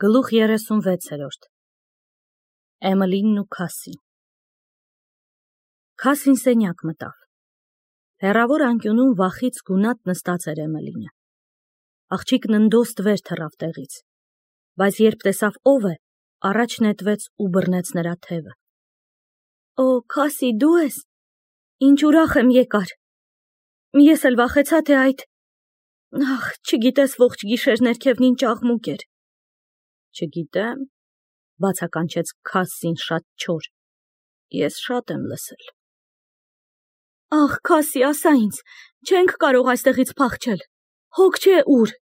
Գլուխ 36 Էմելինն ու Քասին Քասին սենյակ մտավ։ Հեռավոր անկյունում վախից գունատ նստած էր Էմելինը։ Աղջիկն ընդոստ վեր թռավ տեղից, բայց երբ տեսավ ով է, առաջ նետվեց ու բռնեց նրա թևը։ Օ, Քասի, դու ես։ Ինչ ուրախ եմ եկար։ Ես էլ վախեցա, թե այդ… Ախ, չգիտես ողջ գիշեր ներքևն ինչ աղմուկ էր։ Չգիտեմ, բացականչեց Քասին շատ չոր։ Ես շատ եմ լսել։ Ախ, Քասի, ասա ինձ, չենք կարող այստեղից փախչել։ Հոգ չէ ուր,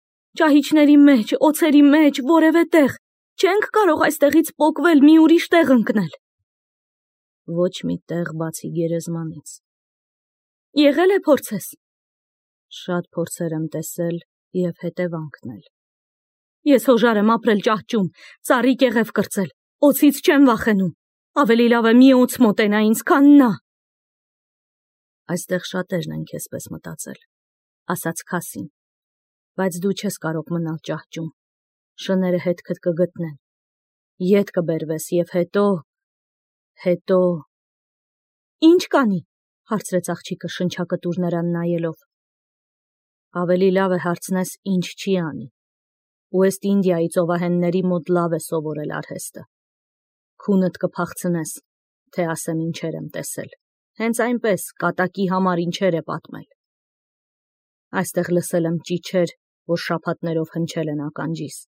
ճահիճների մեջ, օձերի մեջ, որևէ տեղ, չենք կարող այստեղից պոկվել, մի ուրիշ տեղ ընկնել։ Ոչ մի տեղ բացի գերեզմանից։ Եղել է փորձես։ Շատ փորձեր եմ տեսել և հետևանքն էլ։ Ես հոժար եմ ապրել ճահճում, ծառի կեղև կրծել, օձից չեմ վախենում, ավելի լավ է մի օձ մոտենա ինձ, քան նա։ Այստեղ շատերն են քեզպես մտածել, ասաց Քասին, բայց դու չես կարող մնալ ճահճում, շները հետքդ կգտնեն, ետ կբերվես և հետո… Ինչ կանի, հարցրեց աղջիկը շնչակտուր նրան նայելով։ Ավելի լավ է հարցնես ինչ չի անի։ Ուեստ Ինդիայի ծովահենների մոտ լավ է սովորել արհեստը։ Քունդ կփախցնես, թե ասեմ ինչեր եմ տեսել, հենց այնպես, կատակի համար ինչեր է պատմել։ Այստեղ լսել եմ ճիչեր, որ շաբաթներով հնչել են ականջիս։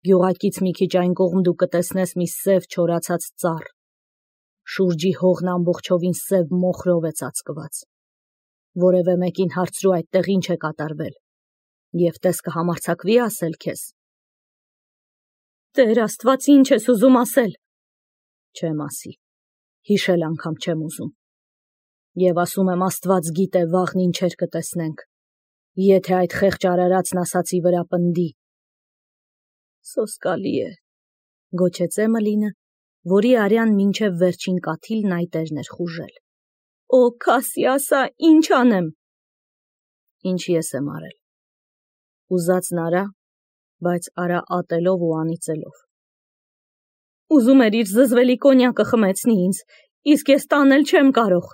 Գյուղակից մի քիչ այն կողմ դու կտեսնես մի սև չորացած ծառ։ Շուրջի հողն ամբողջովին սև մոխրով է ծածկված։ Որևէ մեկին հարցրու այդտեղ ինչ է կատարվել, և տես կհամարձակվի ասել քեզ։ Տեր Աստված, ինչ ես ուզում ասել։ Չեմ ասի, հիշել անգամ չեմ ուզում։ Եվ ասում եմ Աստված գիտե վաղն ինչեր կտեսնենք, եթե այդ խեղճ արարածն ասացի վրա պնդի։ Սոսկալի է, գոչեց Էմելինը, որի արյան մինչև վերջին կաթիլն այտերն էր խուժել։ Օ, Քասի, ասա, ինչ անեմ։ Ինչ ես եմ արել։ Ուզածն արա, բայց արա ատելով ու անիծելով։ Ուզում էր իր զզվելի կոնյակը խմեցնի ինձ, իսկ ես տանել չեմ կարող։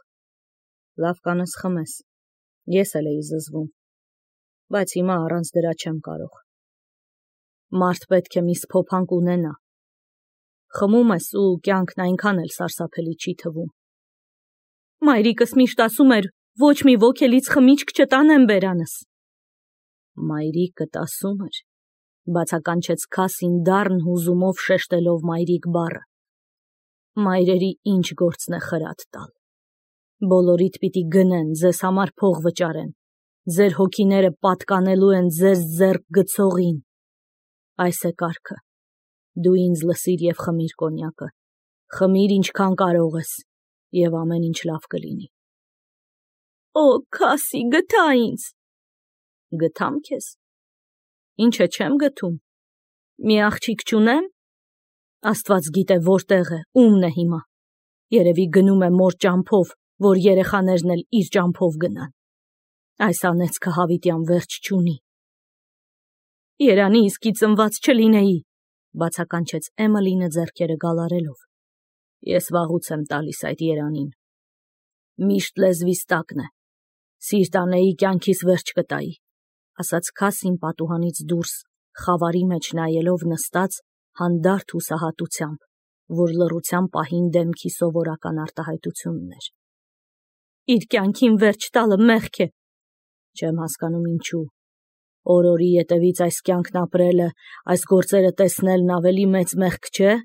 Լավ կանես խմես, ես էլ էի զզվում, բայց հիմա առանց դրա չեմ կարող։ Մարդ պետք է մի սփոփանք ունենա։ Խմում ես ու կյանքն այնքան էլ սարսափելի չի թվում։ Մայրիկս միշտ ասում էր, ոչ մի ոգելից խմիչք չտանեմ բերանս։ Մայրիկդ ասում էր, բացականչեց Քասին դառն հուզումով շեշտելով մայրիկ բառը։ Մայրերի ինչ գործն է խրատ տալ։ Բոլորիդ պիտի գնեն, ձեզ համար փող վճարեն, ձեր հոգիները պատկանելու են ձեզ ձեռք գցողին։ Այս է կարգը։ Դու ինձ լսիր և խմիր կոնյակը, խմիր ինչքան կարող ես, և ամեն ինչ լավ կլինի։ Օ, Քասի, գթա ինձ։ Գթամ քեզ։ Ինչ է չեմ գթում։ Մի աղջիկ չունեմ։ Աստված գիտե որտեղ է, ումն է հիմա։ Երևի գնում է մոր ճամփով, որ երեխաներն էլ իր ճամփով գնան։ Այս անեծքը հավիտյան վերջ չունի։ Երանի իսկի ծնված չլինեի, բացականչեց Էմելինը ձեռքերը գալարելով։ Ես վաղուց եմ տալիս այդ երանին։ Միշտ լեզվիս տակն է։ Սիրտ անեի կյանքիս վերջ կտայի, ասաց Քասին պատուհանից դուրս, խավարի մեջ նայելով նստած հանդարտ հուսահատությամբ, որ լռության պահին դեմքի սովորական արտահայտությունն էր։ Իր կյանքին վերջ տալը մեղք է։ Չեմ հասկանում ինչու։ Օրորի ետևից այս կյանքն ապրելը, այս գործերը տեսնելն ավելի մեծ մեղք չէ։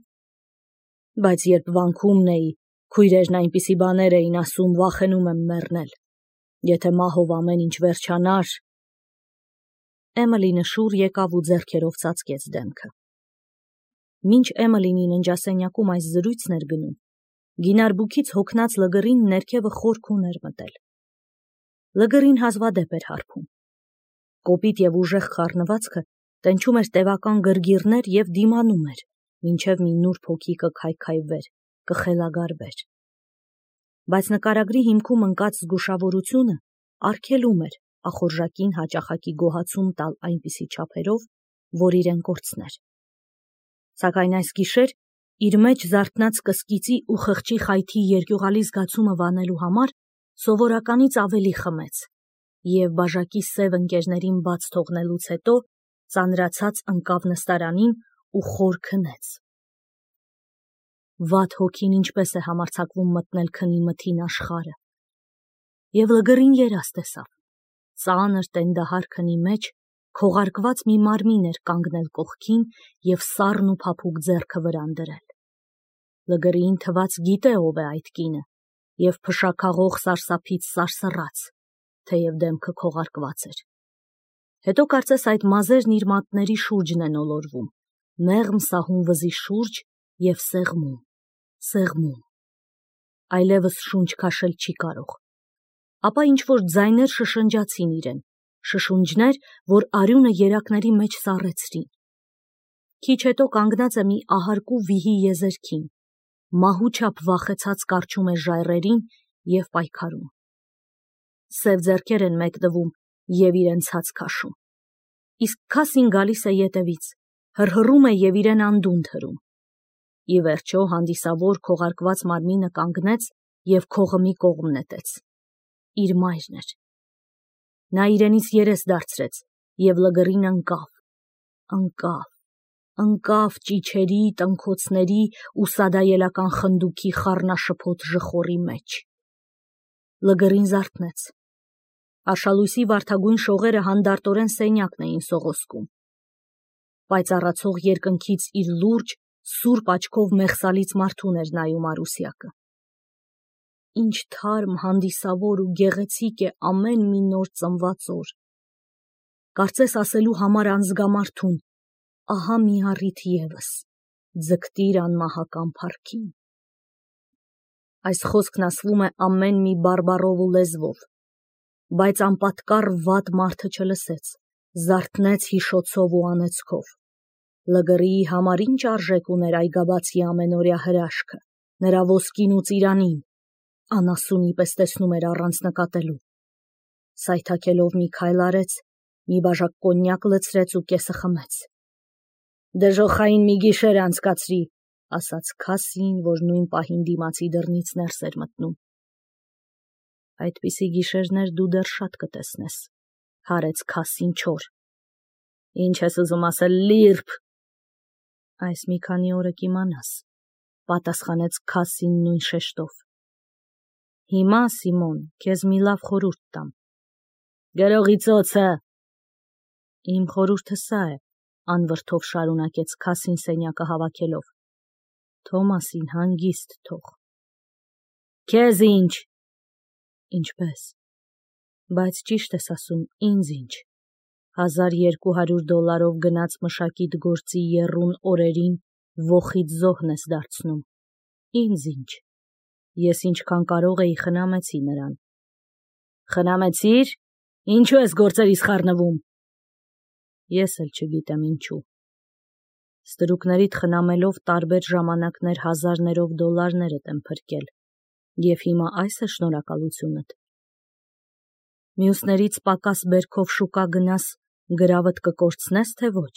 Բայց երբ վանքում էի, քույրերն այնպիսի բաներ էին ասում, վախենում եմ մեռնել։ Եթե մահով ամեն ինչ վերջանար… Էմելինը շուռ եկավ ու ձեռքերով ծածկեց դեմքը։ Մինչ Էմելինի ննջասենյակում այս զրույցն էր գնում, գինարբուքից հոգնած լգռին ներքևը խոր քուն էր մտել։ Լգռին հազվադեպ էր հարբում։ Կոպիտ և ուժեղ խառնվածքը տենչում էր տևական գրգիռներ և դիմանում էր, մինչև մի նուրբ հոգի կքայքայվեր, կխելագարվեր։ Բայց նկարագրի հիմքում ընկած զգուշավորությունը արգելում էր ախորժակին հաճախակի գոհացում տալ այնպիսի չափերով, որ իրեն կորցներ։ Սակայն այս գիշեր իր մեջ զարթնած կսկիծի ու խղճի խայթի երկյուղալի զգացումը վանելու համար սովորականից ավելի խմեց և բաժակի սև ընկերներին բաց թողնելուց հետո ծանրացած ընկավ նստարանին ու խոր քնեց։ Վատ հոգին ինչպես է համարձակվում մտնել քնի մթին աշխարհը։ Եվ լգռին երազ տեսավ։ Ծանր տենդահար քնի մեջ քողարկված մի մարմին էր կանգնել կողքին և սառն ու փափուկ ձեռքը վրան դրել։ Լգռին թվաց գիտե ով է այդ կինը և փշաքաղող սարսափից սարսռաց, թեև դեմքը քողարկված էր։ Հետո կարծես այդ մազերն իր մատների շուրջն են ոլորվում, մեղմ սահուն վզի շուրջ և սեղմում։ Այլևս շունչ քաշել չի կարող։ Ապա ինչ-որ ձայներ շշնջացին իրեն, շշունջներ, որ արյունը երակների մեջ սառեցրին։ Քիչ հետո կանգնած է մի ահարկու վիհի եզերքին, մահու չափ վախեցած կառչում է ժայռերին և պայքարում։ Սև ձեռքեր են մեկնվում և իրեն ցած քաշում։ Իսկ Քասին գալիս է ետևից, հռհռում է և իրեն անդունդ հրում։ Ի վերջո հանդիսավոր քողարկված մարմինը կանգնեց և քողը մի կողմ նետեց։ Իր մայրն էր։ Նա իրենից երես դարձրեց և լգռին ընկավ ճիչերի, տնքոցների ու սադայելական խնդուքի խառնաշփոթ ժխորի մեջ։ Լգռին զարթնեց։ Արշալույսի վարդագույն շողերը հանդարտորեն սենյակն էին սողոսկում։ Պայծառացող երկնքից իր լուրջ, սուրբ աչքով մեղսալից մարդուն էր նայում Արուսյակը։ Ինչ թարմ, հանդիսավոր ու գեղեցիկ է ամեն մի նոր ծնված օր։ Կարծես ասելու համար անզգամարդուն, ահա մի առիթ ևս, ձգտիր անմահական փառքին։ Այս խոսքն ասվում է ամեն մի բարբառով ու լեզվով, բայց անպատկառ վատ մարդը չլսեց, զարթնեց հիշոցով ու անեծքով։ Լգռիի համար ինչ արժեք ուներ այգաբացի ամենօրյա հրաշքը, նրա ոսկին ու ծիրանին, անասունի պես տեսնում էր առանց նկատելու։ Սայթաքելով մի քայլ արեց, մի բաժակ կոնյակ լցրեց ու կեսը խմեց։ Դժոխային մի գիշեր անցկացրի, ասաց Քասին, որ նույն պահին դիմացի դռնից ներս էր մտնում։ Այդպիսի գիշերներ դու դեռ շատ կտեսնես, հարեց Քասին չոր։ Ինչ ես ուզում ասել, լիրբ։ Այս մի քանի օրը կիմանաս, պատասխանեց Քասին նույն շեշտով։ Հիմա, Սիմոն, քեզ մի լավ խորհուրդ տամ։ Գրողի ծոցը։ Իմ խորհուրդը սա է, անվրդով շարունակեց Քասին սենյակը հավաքելով։ Թոմասին հանգիստ թող։ Քեզ ինչ։ Ինչպես։ Բայց ճիշտ ես ասում, ինձ ինչ։ $1200 գնաց մշակիտ գործի եռուն օրերին ոխից զոհն ես դարձնում։ Ինձ ինչ։ Ես ինչքան կարող էի խնամեցի նրան։ Խնամեցիր։ Ինչու ես գործերիս խառնվում։ Ես էլ չգիտեմ ինչու։ Ստրուկներիդ խնամելով տարբեր ժամանակներ հազարներով դոլարներդ եմ փրկել, և հիմա այս է շնորհակալությունդ։ Մյուսներից պակաս բերքով շուկա գնաս, գրավդ կկորցնես, թե ոչ։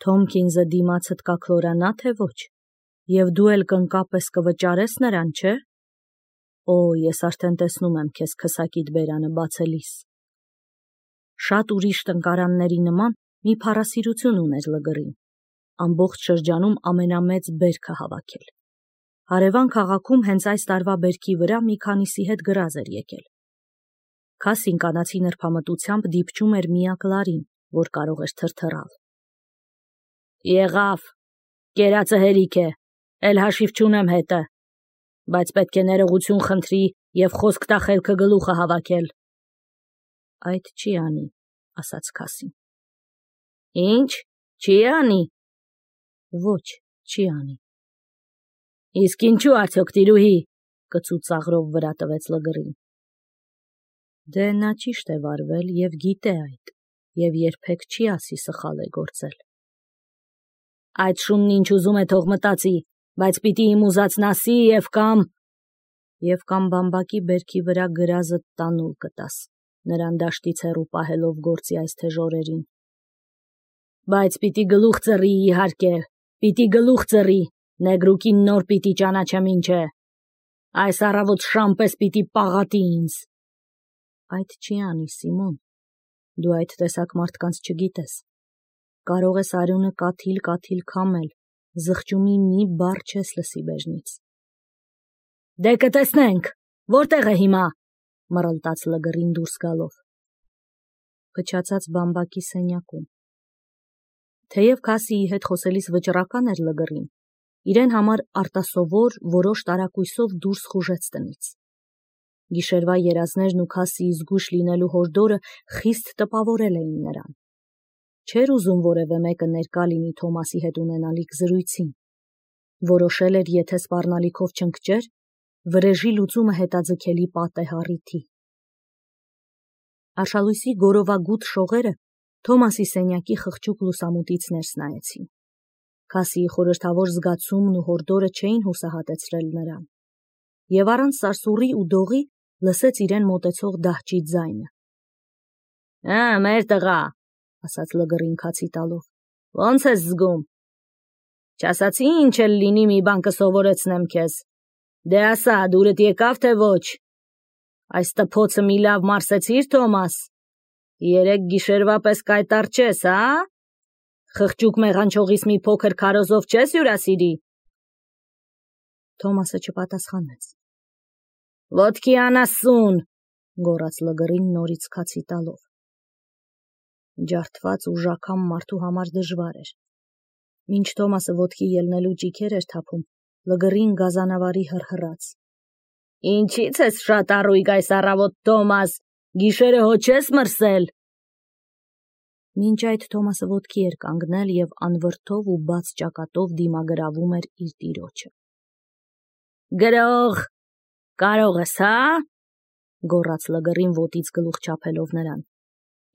Թոմքինզը դիմացդ կաքլորանա, թե ոչ, և դու էլ կնկապես կվճարես նրան, չէ։ Օ, ես արդեն տեսնում եմ քեզ քսակիդ բերանը բացելիս։ Շատ ուրիշ տնկարանների նման մի փառասիրություն ուներ լգռին, ամբողջ շրջանում ամենամեծ բերքը հավաքել։ Հարևան քաղաքում հենց այս տարվա բերքի վրա մի քանիսի հետ գրազ էր եկել։ Քասին կանացի նրբամտությամբ դիպչում էր միակ լարին, որ կարող էր թրթռալ։ Եղավ, կերածը հերիք է, էլ հաշիվ չունեմ հետը, բայց պետք է ներողություն խնդրի և խոսք տա խելքը գլուխը հավաքել։ Այդ չի անի, ասաց Քասին։ Ինչ, չի անի։ Ոչ, չի անի։ Իսկ ինչու արդյոք տիրուհի, կծու ծաղրով վրա տվեց լգռին։ Դե նա ճիշտ է վարվել և գիտե այդ, և երբեք չի ասի սխալ է գործել։ Այդ շունն ինչ ուզում է թող մտածի, բայց պիտի իմ ուզածն ասի և կամ բամբակի բերքի վրա գրազդ տանուլ կտաս, նրան դաշտից հեռու պահելով գործի այս թեժ օրերին։ Բայց պիտի գլուխ ծռի, իհարկե, Պիտի գլուխ ձեռի, նեգրուկին նոր պիտի ճանաչեմ ինչ է։ Այս առավոտ շամպես պիտի պաղատի ինձ։ Այդ չի անի, Սիմոն, դու այդ տեսակ մարդկանց չգիտես։ Կարող ես արյունը կաթիլ քամել, զղջումի մի բառ չես լսի բեժնից։ Դե կտեսնենք, որտեղ է հիմա, մռլտաց Լգռին դուրս գալով։ Փչացած բամբակի սենյակում։ Թեև Քասիի հետ խոսելիս վճռական էր Լգռին, իրեն համար արտասովոր որոշ տարակույսով դուրս խուժեց տնից։ Գիշերվա երազներն ու Քասիի զգույշ լինելու հորդորը խիստ տպավորել էին նրան։ Չէր ուզում որևէ մեկը ներկա լինի Թոմասի հետ ունենալիք զրույցին։ Որոշել էր, եթե սպառնալիքով չընկճեր, վրեժի լուծումը հետաձգելի պատե հառիթի։ Արշալույսի գորովագութ շողերը Թոմասի սենյակի խղճուկ լուսամուտից ներս նայեցին։ Քասիի խորհրդավոր զգացումն ու հորդորը չէին հուսահատեցրել նրան։ Եվ առանց սարսուռի ու դողի լսեց իրեն մոտեցող դահճի ձայնը։ Մեր տղա, ասաց Լգռին քացի տալով, ո՞նց ես զգում։ Չասացի ինչ էլ լինի մի բան կսովորեցնեմ քեզ։ Դե ասա, դուրդ եկավ թե ոչ։ Այս տփոցը մի լավ մարսեցիր, Թոմաս։ Երեք գիշերվա պես կայտառ չես, հա։ Խղճուկ մեղանչողից մի փոքր քարոզով չես հյուրասիրի։ Թոմասը չպատասխանեց։ Ոտքի անասուն, գոռաց Լգռին նորից քացի տալով։ Ջարդված ու ժաքամ մարդու համար դժվար էր։ Մինչ Թոմասը ոտքի ելնելու ճիքեր էր թափում, Լգռին գազանավարի հռհռաց։ Ինչից ես շատ առույգ այս առավոտ, Թոմաս, գիշերը հո չես մրսել։ Մինչ այդ Թոմասը ոտքի էր կանգնել և անվրդով ու բաց ճակատով դիմագրավում էր իր տիրոջը։ Գրող, կարող ես, հա, գոռաց Լգռին ոտից գլուխ չափելով նրան։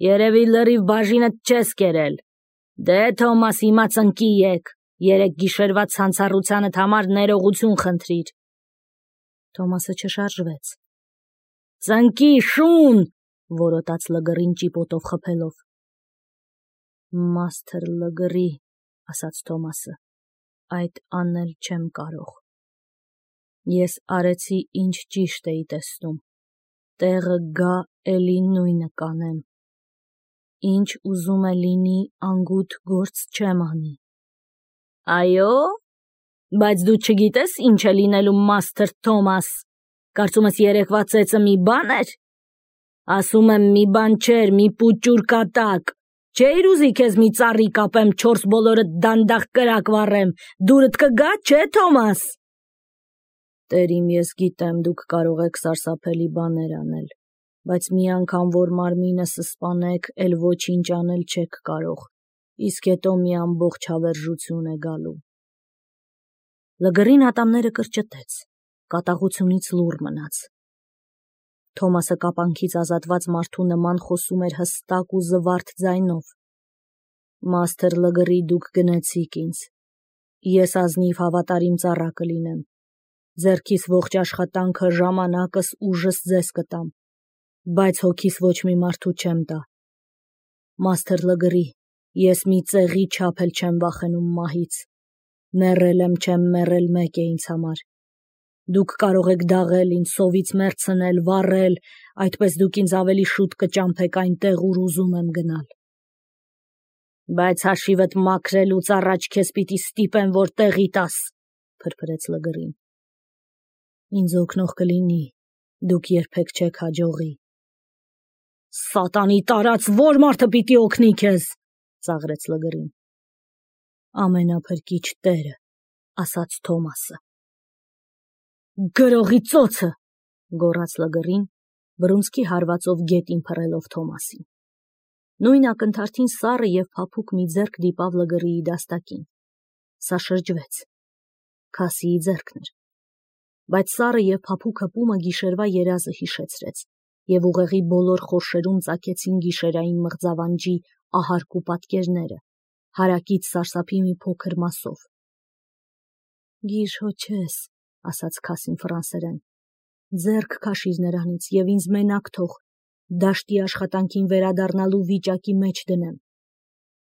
Երևի լրիվ բաժինդ չես կերել։ Դե Թոմաս, հիմա ծնկի եկ, երեք գիշերվա ցանցառությանդ համար ներողություն խնդրիր։ Թոմասը չշարժվեց։ Ծնկի, շուն, որոտաց Լգռին ճիպոտով խփելով։ Մաստր Լգռի, ասաց Թոմասը, այդ անել չեմ կարող։ Ես արեցի ինչ ճիշտ էի տեսնում։ Տեղը գա էլի նույնը կանեմ։ Ինչ ուզում է լինի, անգութ գործ չեմ անի։ Այո, բայց դու չգիտես ինչ է լինելու, Մաստր Թոմաս։ Կարծում ես երեկվա ծեծը մի բան էր։ Ասում եմ մի բան չէր, մի պուճուր կատակ։ Չէիր ուզի քեզ մի ծառի կապեմ, 4 բոլորդ դանդաղ կրակ վառեմ, դուրդ կգա, չէ, Թոմաս։ Տեր իմ, ես գիտեմ, դուք կարող եք սարսափելի բաներ անել, բայց մի անգամ որ մարմինը սսպանեք, էլ ոչինչ անել չեք կարող, իսկ հետո մի ամբողջ հավերժություն է գալու։ Լգռին ատամները կրճտեց, կատաղությունից լուռ մնաց։ Թոմասը կապանքից ազատված մարդու նման խոսում էր հստակ ու զվարթ ձայնով։ Մաստր Լգռի, դուք գնացիք ինձ։ Ես ազնիվ հավատարիմ ծառա կլինեմ։ Ձեռքիս ողջ աշխատանքը, ժամանակս, ուժս ձեզ կտամ, բայց հոգիս ոչ մի մարդու չեմ տա։ Մաստր Լգռի, ես մի ծեղի չափ էլ չեմ վախենում մահից։ Մեռել եմ, չեմ մեռել, մեկ է ինձ համար։ Դուք կարող եք դաղել ինձ, սովից մեռցնել, վառել, այդպես դուք ինձ ավելի շուտ կճամփեք այնտեղ, ուր ուզում եմ գնալ։ Բայց հաշիվդ մաքրելուց առաջ քեզ պիտի ստիպեմ, որ տեղի տաս, փրփրեց Լգռին։ Ինձ օգնող կլինի, դուք երբեք չեք հաջողի։ Սատանի տարած, որ մարդը պիտի օգնի քեզ, ծաղրեց Լգռին։ Ամենափրկիչ Տերը, ասաց Թոմասը։ Գրողի ծոցը, գոռաց Լգռին, բռունցքի հարվածով գետին փռելով Թոմասին։ Նույն ակնթարթին սառը և փափուկ մի ձեռք դիպավ Լգռիի դաստակին։ Սա շրջվեց։ Քասիի ձեռքն էր։ Բայց սառը և փափուկ հպումը գիշերվա երազը հիշեցրեց, և ուղեղի բոլոր խորշերում ծագեցին գիշերային մղձավանջի ահարկ ու պատկերները, հարակից սարսափի մի փոքր մասով։ Գիժ հո չես, ասաց Քասին ֆրանսերեն, ձեռք քաշիր նրանից և ինձ մենակ թող, դաշտի աշխատանքին վերադառնալու վիճակի մեջ դնեմ։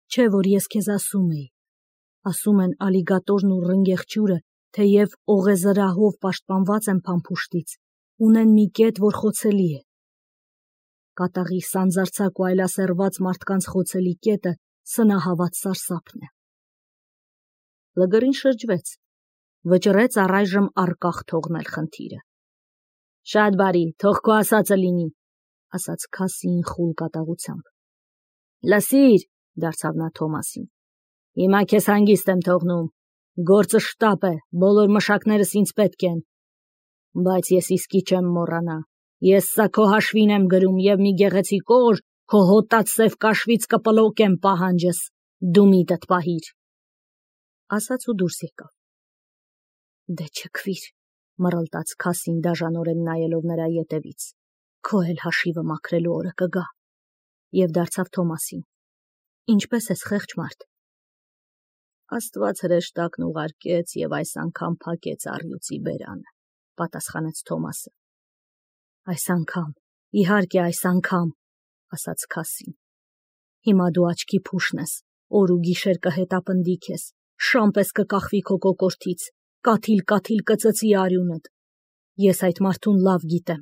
Չէ որ ես քեզ ասում էի, Ասում են ալիգատորն ու ռնգեղջյուրը, թեև օղեզրահով պաշտպանված են փամփուշտից, ունեն մի կետ, որ խոցելի է։ Կատաղի սանձարձակ ու այլասերված մարդկանց խոցելի կետը սնահավատ սարսափն է։ Լգրին շրջվեց, վճռեց առայժմ առկախ թողնել խնդիրը։ Շատ բարի, թող քո ասածը լինի, ասաց Քասին խուլ կատաղությամբ։ Լսիր, դարձավ նա Թոմասին, հիմա քեզ հանգիստ եմ թողնում, գործը շտապ է, բոլոր մշակներս ինձ պետք են, բայց ես իսկի չեմ մոռանա, ես սա քո հաշվին եմ գրում և մի գեղեցիկ օր քո հոտած սև կաշվից կպլոկեմ պահանջս, դու միտդ պահիր, ասաց ու դուրս եկավ։ Դե չքվիր, մռլտաց Քասին դաժանորեն նայելով նրա ետևից, քո էլ հաշիվը մաքրելու օրը կգա, և դարձավ Թոմասին, ինչպես ես խեղճ մարդ։ Աստված հրեշտակն ուղարկեց և այս անգամ փակեց առյուծի բերանը, պատասխանեց Թոմասը։ Այս անգամ, իհարկե այս անգամ, ասաց Քասին։ Հիմա դու աչքի փուշն ես, օր ու գիշեր կհետապնդի քեզ, շան պես կկախվի քո կոկորդից, կաթիլ կծծի արյունդ։ Ես այդ մարդուն լավ գիտեմ,